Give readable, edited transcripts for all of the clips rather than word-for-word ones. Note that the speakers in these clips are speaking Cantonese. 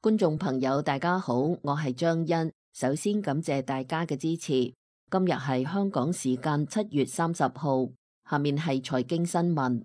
觀眾朋友大家好，我係張欣，首先感謝大家嘅支持。今日係香港時間7月30號，下面係財經新聞。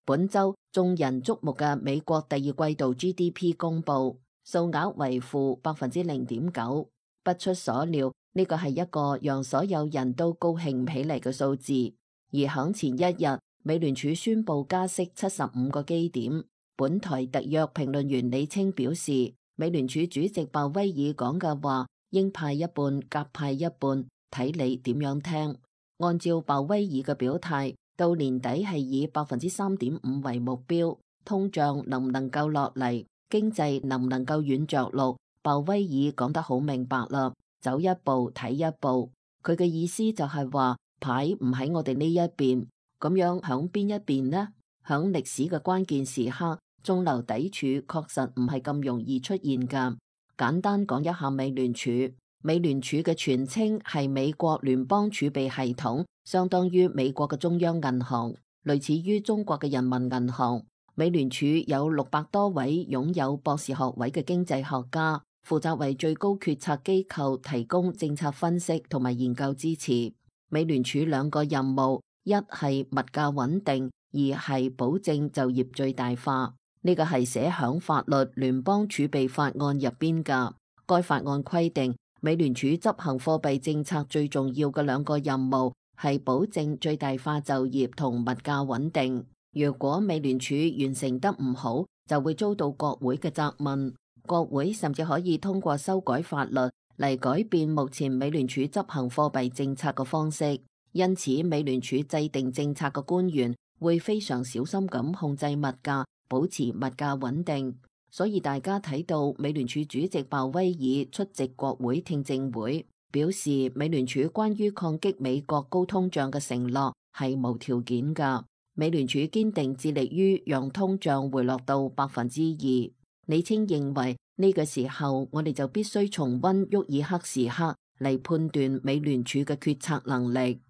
本周眾人矚目嘅美國第二季度 GDP 公佈，數額為負0.9%，不出所料，呢個係一個讓所有人都高興唔起嚟嘅數字。而響前一日，美聯儲宣佈加息75個基點。本台特約評論員李清表示，美聯儲主席鮑威爾講嘅話，鷹派一半，鴿派一半，睇你點樣聽。按照鮑威爾嘅表態，到年底係以3.5%為目標，通脹能唔能夠落嚟，經濟能唔能夠軟着陸，鮑威爾講得好明白啦，走一步睇一步。佢嘅意思就係話，牌唔喺我哋呢一邊，咁樣響邊一邊呢？響歷史嘅關鍵時刻，中流砥柱確實唔係咁容易出現㗎。簡單講一下美聯儲，美聯儲嘅全稱係美國聯邦儲備系統，相當於美國嘅中央銀行，類似於中國嘅人民銀行。美聯儲有600多位擁有博士學位嘅經濟學家，負責為最高決策機構提供政策分析同埋研究支持。美聯儲2個任務，一係物價穩定，二係保證就業最大化。呢個係寫響法律聯邦儲備法案入邊㗎。該法案規定，美聯儲執行貨幣政策最重要嘅2個任務係保證最大化就業同物價穩定。如果美聯儲完成得唔好，就會遭到國會嘅責問。國會甚至可以通過修改法律嚟改變目前美聯儲執行貨幣政策嘅方式。因此，美聯儲制定政策嘅官員會非常小心咁控制物價，保持物價穩定。所以大家睇到美聯儲主席鮑威爾出席國會聽證會，表示美聯儲關於抗擊美國高通脹嘅承諾係無條件㗎。美聯儲堅定致力於讓通脹回落到2%。李清認為呢個時候我哋就必須重溫沃爾克時刻嚟判斷美聯儲嘅決策能力。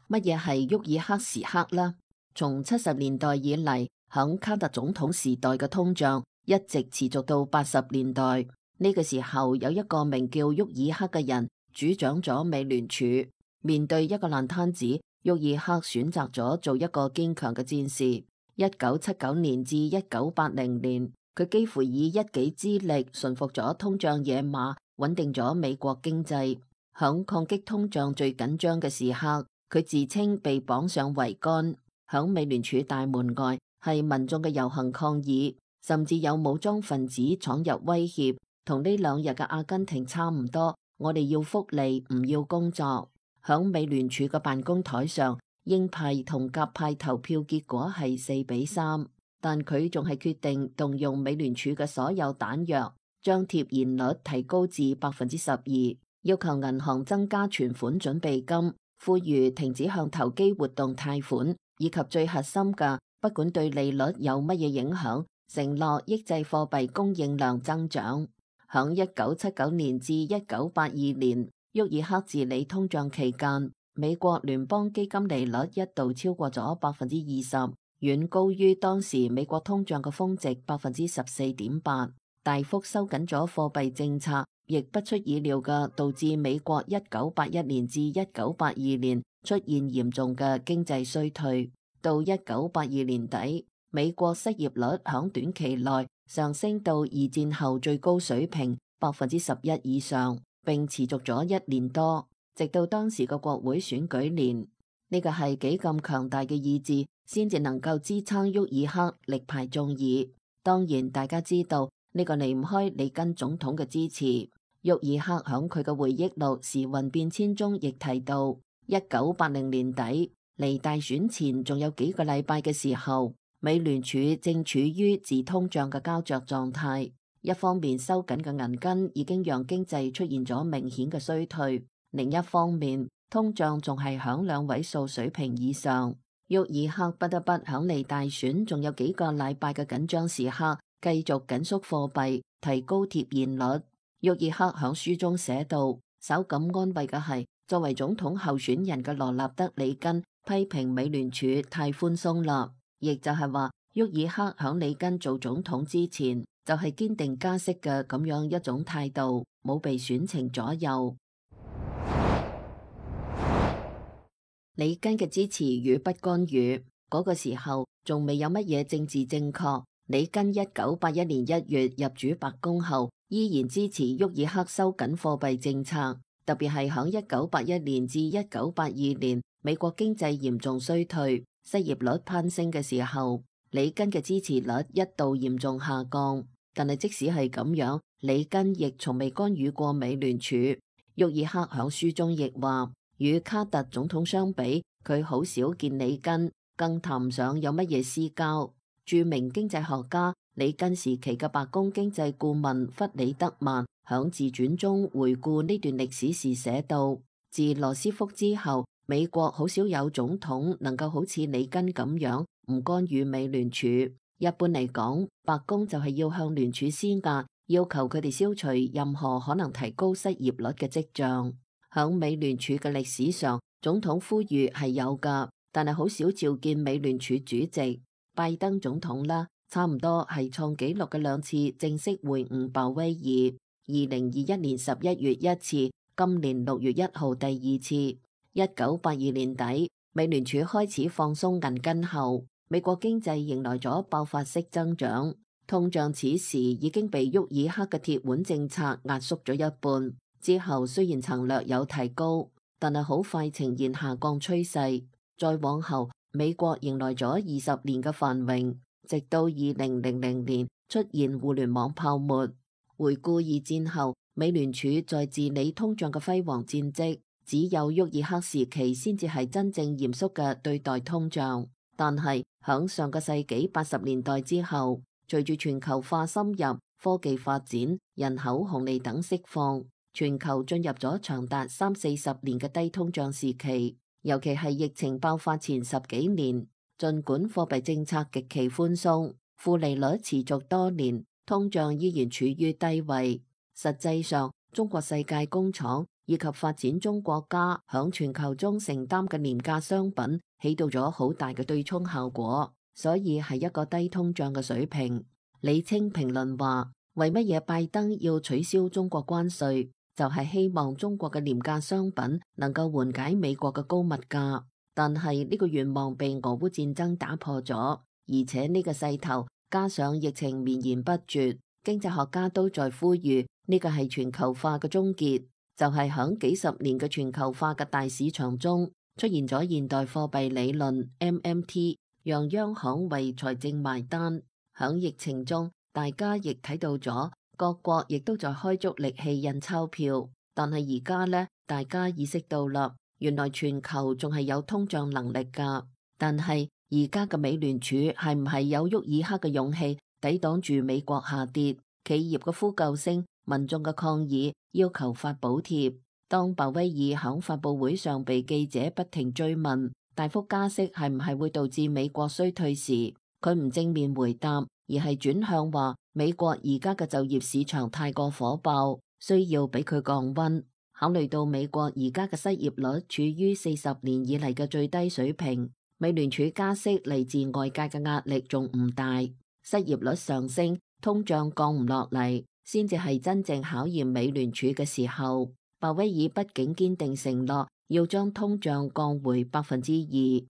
乜嘢係沃爾克時刻呢？從70年代以嚟，響卡特總統時代嘅通脹一直持續到80年代。呢個時候有一個名叫沃爾克嘅人主掌咗美聯儲。面對一個爛攤子，沃爾克選擇咗做一個堅強嘅戰士。1979年至1980年，佢幾乎以一己之力馴服咗通脹野馬，穩定咗美國經濟。響抗擊通脹最緊張嘅時刻，佢自稱被綁上桅杆。響美聯儲大門外係民眾嘅遊行抗議，甚至有武裝分子闖入威脅，同呢2日嘅阿根廷差唔多。我哋要福利，唔要工作。響美聯儲嘅辦公台上，鷹派同鴿派投票結果係4-3，但佢仲係決定動用美聯儲嘅所有彈藥，將貼現率提高至12%，要求銀行增加存款準備金，呼籲停止向投機活動貸款，以及最核心嘅，不管對利率有乜嘢影響，承諾抑制貨幣供應量增長。響1979年至1982年，沃爾克治理通脹期間，美國聯邦基金利率一度超過咗20%，遠高於當時美國通脹嘅峰值14.8%，大幅收緊咗貨幣政策，亦不出意料嘅導致美國1981年至1982年出現嚴重嘅經濟衰退。到1982年底，美國失業率響短期內上升到2戰後最高水平11%以上，並持續咗1年多，直到當時嘅國會選舉年。呢個係幾咁強大嘅意志，先至能夠支撐沃爾克力排眾議。當然，大家知道呢個離唔開里根總統嘅支持。沃爾克響佢嘅回憶錄《時運變遷》中亦提到，1980年底離大選前仲有幾個禮拜嘅時候，美聯儲正處於自通脹嘅膠着狀態。一方面收緊嘅銀根已經讓經濟出現咗明顯嘅衰退，另一方面通脹仲係響2位數水平以上。沃爾克不得不響離大選仲有幾個禮拜嘅緊張時刻，繼續緊縮貨幣，提高貼現率。沃爾克響書中寫道，稍感安慰嘅係，作為總統候選人嘅羅納德里根批評美聯儲太寬鬆啦。亦就係話沃爾克響里根做總統之前就係堅定加息嘅咁樣一種態度，冇被選情左右。里根嘅支持與不干預，嗰個時候仲未有乜嘢政治正確。里根1981年1月入主白宮後，依然支持沃爾克收緊貨幣政策，特別係響1981年至1982年美國經濟嚴重衰退、失業率攀升嘅時候，里根嘅支持率一度嚴重下降。但係即使係咁樣，里根亦從未干預過美聯儲。沃爾克響書中亦話，與卡特總統相比，佢好少見里根，更談唔上有乜嘢私交。著名經濟學家里根時期嘅白宮經濟顧問弗里德曼響自傳中回顧呢段歷史時寫道，自羅斯福之後，美國好少有總統能夠好似里根咁樣唔干預美聯儲。一般嚟講，白宮就係要向聯儲施壓，要求佢哋消除任何可能提高失業率嘅跡象。響美聯儲嘅歷史上，總統呼籲係有㗎，但係好少召見美聯儲主席。拜登總統啦，差唔多係創紀錄嘅2次正式會晤鮑威爾，2021年11月1次，今年6月1號第2次。1982年底，美聯儲開始放鬆銀根後，美國經濟迎來咗爆發式增長，通脹此時已經被沃爾克嘅鐵腕政策壓縮咗一半。之後雖然曾略有提高，但係好快呈現下降趨勢。再往後，美國迎來咗20年嘅繁榮，直到2000年出現互聯網泡沫。回顧二戰後，美聯儲在治理通脹嘅輝煌戰績，只有沃爾克時期先至係真正嚴肅嘅對待通脹。但係響上個世紀80年代之後，隨住全球化深入、科技發展、人口紅利等釋放，全球進入咗長達30-40年嘅低通脹時期。尤其係疫情爆發前10幾年，儘管貨幣政策極其寬鬆，負利率持續多年，通脹依然處於低位。實際上，中國世界工廠以及發展中國家響全球中承擔嘅廉價商品起到咗好大嘅對沖效果，所以係一個低通脹嘅水平。李清評論話，為乜嘢拜登要取消中國關稅？就係希望中國嘅廉價商品能夠緩解美國嘅高物價，但係呢個願望被俄烏戰爭打破咗，而且呢個勢頭加上疫情綿延不絕，經濟學家都在呼籲呢個係全球化嘅終結，就係響幾十年嘅全球化嘅大市場中出現咗現代貨幣理論 MMT， 讓央行為財政埋單。響疫情中，大家亦睇到咗。各國亦都在開足力氣印鈔票，但係而家呢，大家意識到啦，原來全球仲係有通脹能力㗎。但係而家嘅美聯儲係唔係有沃爾克嘅勇氣抵擋住美國下跌、企業嘅呼救聲、民眾嘅抗議，要求發補貼？當鮑威爾響發佈會上被記者不停追問大幅加息係唔係會導致美國衰退時，佢唔正面回答，而係轉向話美國而家嘅就業市場太過火爆，需要俾佢降溫。考慮到美國而家嘅失業率處於40年以嚟嘅最低水平，美聯儲加息嚟自外界嘅壓力仲唔大，失業率上升，通脹降唔落嚟，先至係真正考驗美聯儲嘅時候。鮑威爾畢竟堅定承諾要將通脹降回2%。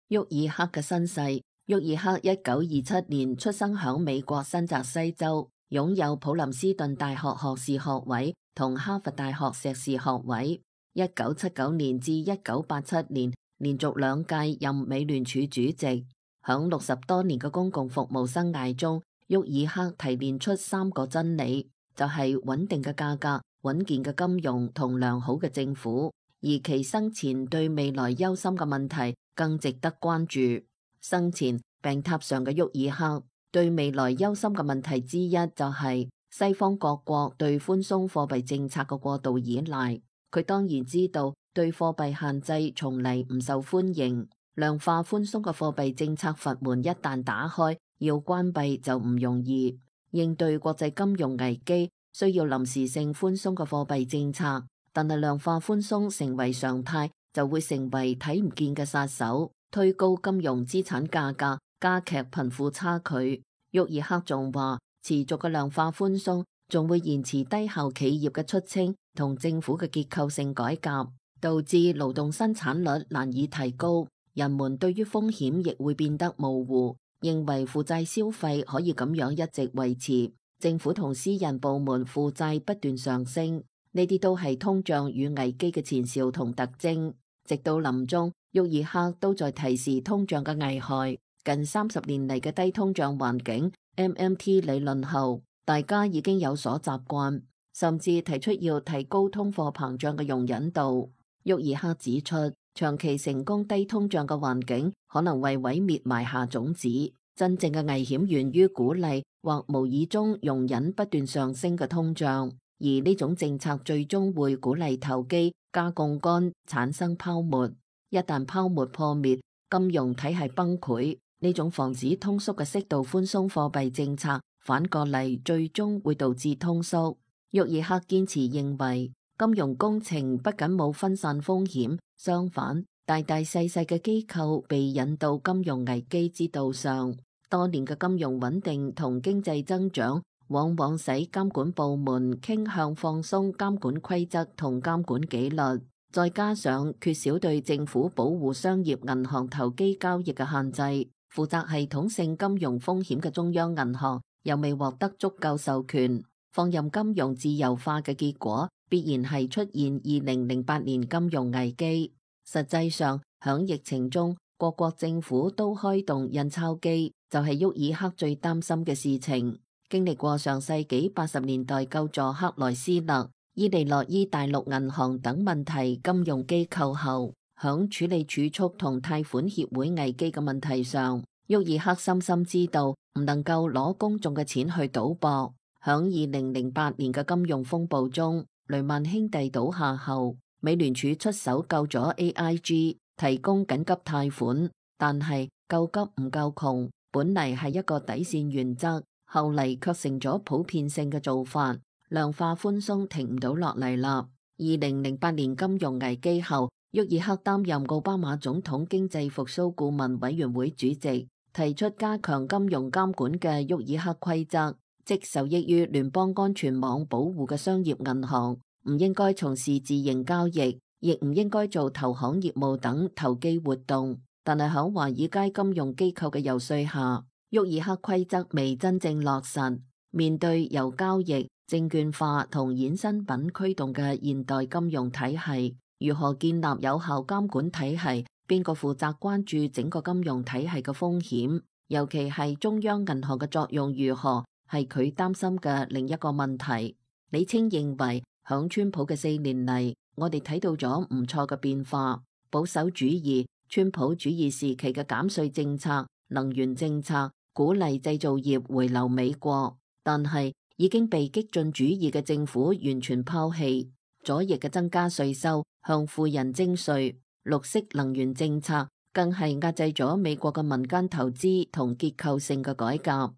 沃爾克嘅身世。沃爾克1927年出生響美國新澤西州，擁有普林斯頓大學學士學位同哈佛大學碩士學位。1979年至1987年連續2屆任美聯儲主席。響60多年嘅公共服務生涯中，沃爾克提煉出3個真理，就係穩定嘅價格、穩健嘅金融同良好嘅政府。而其生前對未來憂心嘅問題更值得關注。生前病榻上嘅沃爾克對未來憂心嘅問題之一就係西方各國對寬鬆貨幣政策嘅過度依賴。佢當然知道對貨幣限制從嚟唔受歡迎，量化寬鬆嘅貨幣政策閥門一旦打開，要關閉就唔容易。應對國際金融危機需要臨時性寬鬆嘅貨幣政策，但係量化寬鬆成為常態就會成為睇唔見嘅殺手，推高金融資產價格，加劇貧富差距。沃爾克仲話，持續嘅量化寬鬆仲會延遲低效企業嘅出清同政府嘅結構性改革，導致勞動生產率難以提高，人們對於風險亦會變得模糊，認為負債消費可以咁樣一直維持。政府同私人部門負債不斷上升，呢啲都係通脹與危機嘅前兆同特徵。直到臨終，沃爾克都在提示通脹嘅危害。近30年嚟嘅低通脹環境 MMT 理論後，大家已經有所習慣，甚至提出要提高通貨膨脹嘅容忍度。沃爾克指出，長期成功低通脹嘅環境可能為毀滅埋下種子。真正嘅危險源於鼓勵或無意中容忍不斷上升嘅通脹，而呢種政策最終會鼓勵投機、加槓桿、產生泡沫。一旦泡沫破滅，金融體系崩潰，呢種防止通縮嘅適度寬鬆貨幣政策，反過嚟最終會導致通縮。沃爾克堅持認為，金融工程不僅冇分散風險，相反，大大細細嘅機構被引導金融危機之道上。多年嘅金融穩定同經濟增長，往往使監管部門傾向放鬆監管規則同監管紀律，再加上缺少對政府保護商業銀行投機交易嘅限制，負責系統性金融風險嘅中央銀行又未獲得足夠授權，放任金融自由化嘅結果，必然係出現2008年金融危機。實際上，響疫情中，各國政府都開動印鈔機，就係沃爾克最擔心嘅事情。經歷過上世紀80年代救助克萊斯勒、伊利諾伊大陸銀行等問題金融機構後，響處理儲蓄同貸款協會危機嘅問題上，沃爾克深深知道唔能夠攞公眾嘅錢去賭博。響2008年嘅金融風暴中，雷曼兄弟倒下後，美聯儲出手救咗 AIG，提供緊急貸款，但係救急唔救窮，本嚟係一個底線原則，後嚟卻成咗普遍性嘅做法。量化寬鬆停唔到落嚟啦。2008年金融危機後，沃爾克擔任奧巴馬總統經濟復甦顧問委員會主席，提出加強金融監管嘅沃爾克規則，即受益於聯邦安全網保護嘅商業銀行唔應該從事自營交易，亦唔應該做投行業務等投機活動。但係喺華爾街金融機構嘅游說下，沃爾克規則未真正落實。面對由交易、證券化同衍生品驅動嘅現代金融體系，如何建立有效監管體系？邊個負責關注整個金融體系嘅風險？尤其係中央銀行嘅作用如何？係佢擔心嘅另一個問題。李清認為，響川普嘅4年嚟，我哋睇到咗唔錯嘅變化。保守主義、川普主義時期嘅減稅政策、能源政策，鼓勵製造業回流美國，但係已經被激進主義嘅政府完全拋棄。左翼嘅增加稅收、向富人徵稅、綠色能源政策，更係壓制咗美國嘅民間投資同結構性嘅改革。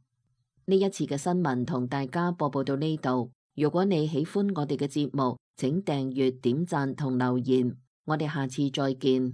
呢一次嘅新聞同大家播報到呢度。如果你喜歡我哋嘅節目，請訂閱、點讚同留言。我哋下次再見。